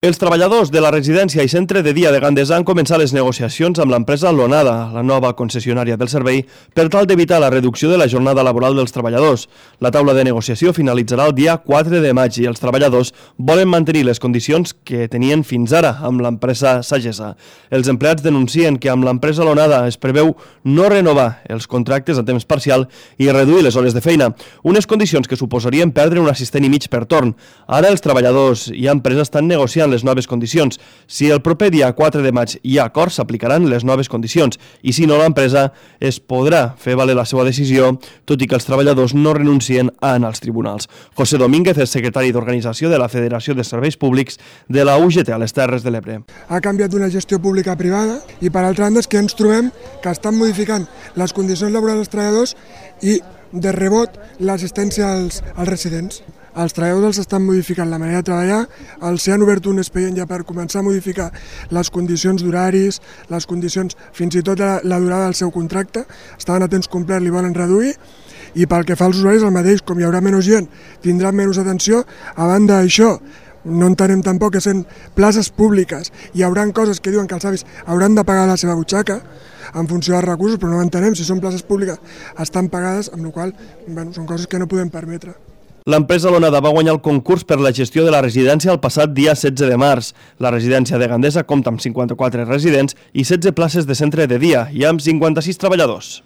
Els treballadors de la residència i centre de dia de Gandesa han començat les negociacions amb l'empresa Lonada, la nova concessionària del servei, per tal d'evitar la reducció de la jornada laboral dels treballadors. La taula de negociació finalitzarà el dia 4 de maig i els treballadors volen mantenir les condicions que tenien fins ara amb l'empresa Sagessa. Els empleats denuncien que amb l'empresa Lonada es preveu no renovar els contractes a temps parcial i reduir les hores de feina, unes condicions que suposarien perdre un assistent i mig per torn. Ara els treballadors i empresa estan negociant les noves condicions. Si el proper dia 4 de maig hi ha acord, s'aplicaran les noves condicions i si no, l'empresa es podrà fer valer la seva decisió, tot i que els treballadors no renuncien a anar als tribunals. José Domínguez és secretari d'Organització de la Federació de Serveis Públics de la UGT a les Terres de l'Ebre. Ha canviat d'una gestió pública a privada i per altra banda és que ens trobem que estan modificant les condicions laborals dels treballadors i de rebot l'assistència als residents. Els treballadors els estan modificant la manera de treballar, els han obert un expedient ja per començar a modificar les condicions d'horaris, les condicions, fins i tot la durada del seu contracte, estaven a temps complet, li volen reduir, i pel que fa als usuaris el mateix, com hi haurà menys gent, tindran menys atenció, a banda d'això, no entenem tampoc que són places públiques, hi haurà coses que diuen que els avis hauran de pagar la seva butxaca, en funció dels recursos, però no entenem si són places públiques, estan pagades, amb la qual cosa són coses que no podem permetre. L'empresa Lonada va guanyar el concurs per la gestió de la residència el passat dia 16 de març. La residència de Gandesa compta amb 54 residents i 16 places de centre de dia i amb 56 treballadors.